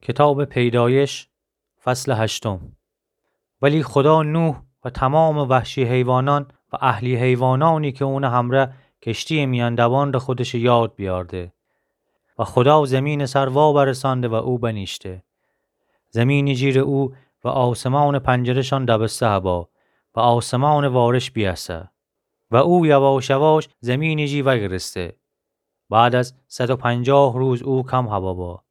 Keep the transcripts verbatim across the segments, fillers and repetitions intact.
کتابٚ پیدایش، فصلٚ هشتم. ولی خودا نوح و تومامٚ وحشی حیوانأن و اهلی حیوانأنی کی اونٚ همرأ کشتییٚ میأن دوأن ره خودشٚ یاد بیأرده. و خودا زمینٚ سر واورسأنده و او بنیشته. زمینٚ جیر او و آسمانٚ پنجره‌شأن دبسته هبا و آسمانٚ وارش بیأسه. و او یواش یواش زمینٚ جی وأگرسته. بعد از صد و پنجاه روز او کم هبا با.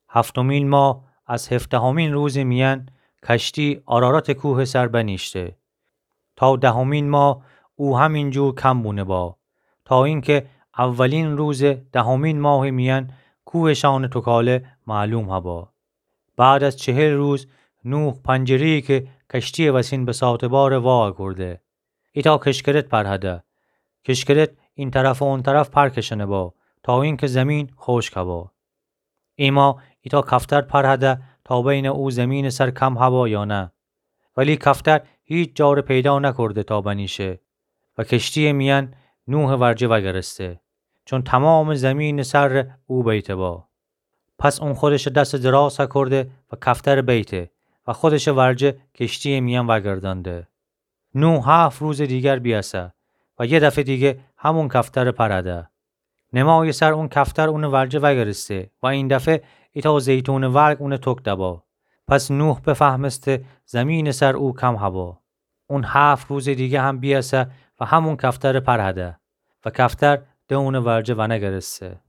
هفتمین ماه از هفدهمین روزٚ میأن کشتی آراراتٚ کوهٚ سر بنیشته. تا دهمین ماه او همین جور کم بونه با. تا اینکه اولین روزٚ دهمین ماهٚ میأن کوهٚ شأنٚ توکاله معلوم هبا. بعد از چهل روز نوح پنجره‌یی کی کشتییٚ وسین بساطه باره واکورده. ایتأ کشکرت پرهده. کشکرت این طرف و اون طرف پر کشأنه با تا اینکه زمین خوشک هبا. ایما ایتأ کفتر پرهده تا بینه او زمینٚ سر کم هبا یا نه. ولی کفتر هیچ جا ره پیدا نکورده تا بنیشه و کشتییٚ میأن نوحٚ ورجه وأگرسته. چون تومامٚ زمینٚ سر ره او بیته با. پس اون خودشٚ دسٚ دراز هکورده و کفتر بیته و خودشٚ ورجه کشتییٚ میأن وأگردأنده. نوح هفت روزٚ دیگر بیأسه و یه دفعه دیگه همون کفتر پرهده. نمایٚ سر اون کفتر اونٚ ورجه وأگرسته و این دفعه ایتأ زیتونٚ ورگ اونٚ توک دبا. پس نوح بفهمسته زمینٚ سر او کم هبا. اون هفت روزٚ دیگه هم بیأسه و همون کفتر پرهده و کفتر ده اونٚ ورجه ونگرسته.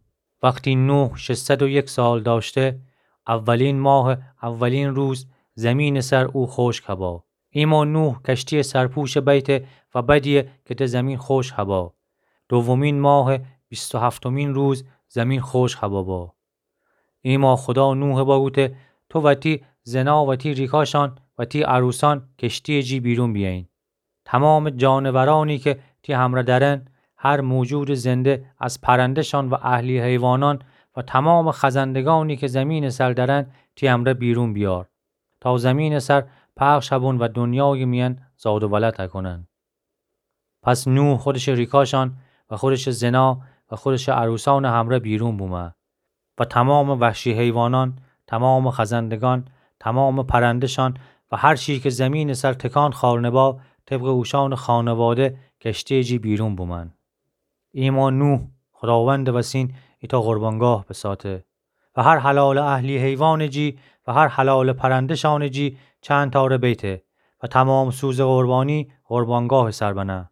وختی نوح ششصد و یک سال دأشته، اولین ماهٚ اولین روز زمینٚ سر او خوشک هبا. ایما نوح کشتییٚ سرپوش بیته و بدیه کی ده زمین خوشک هبا. دومین ماهٚ بیست و هفتمین روز زمین خوشک هبا با. ایما خودا نوح بوگوته، تو و تی زنا و تی ریکاشأن و تی عروسأن کشتییٚ جی بیرون بیأیین. تومامٚ جانورأنی کی تی همرأ دأرن، هر موجودٚ زنده از پرنده‌شأن و اهلی حیوانأن و تومامٚ خزندگأنی کی زمینٚ سر دأرن، تی همرأ بیرون بیأر. تا زمینٚ سر پخش هبون و دنیایٚ میأن زاد و ولد هکونن. پس نوح خودشٚ ریکاشأن و خودشٚ زنا و خودشٚ عروسأنٚ همرأ بیرون بومه و تومامٚ وحشی حیوانأن، تومامٚ خزندگأن، تومامٚ پرنده‌شأن و هر چی کی زمینٚ سر تکان خأرنه با، طبقٚ اوشأنٚ خانواده کشتییٚ جی بیرون بومأن. ایما نوح خوداوندٚ وسین ایتأ قربانگاه بساته و هر حلالٚ اهلی حیوانٚ جی و هر حلالٚ پرنده‌شأنٚ جی چند تأ ره بیته و تومام سوزٚ قربانی قربانگاهٚ سر بنه.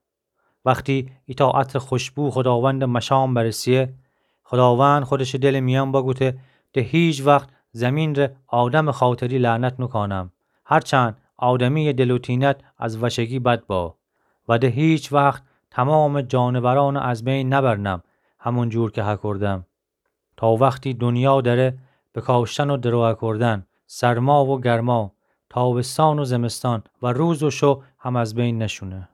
وختی ایتأ عطرٚ خوشبو خوداوندٚ مشام برسیه، خوداوند خودشٚ دلٚ میأن بوگوته، ده هیچ وخت زمین ره آدمٚ خاطری لعنت نوکانم، هرچند آدمییٚ دل و تینت از وشگی بد با. و ده هیچ وخت تومامٚ جانورأنٚ از بین نبرنم، همون جور کی هکوردم. تا وختی دنیا دأره، بکاشتن و درو هکوردن، سرما و گرما، تابستان و زمستان و روز و شو هم از بین نشونه.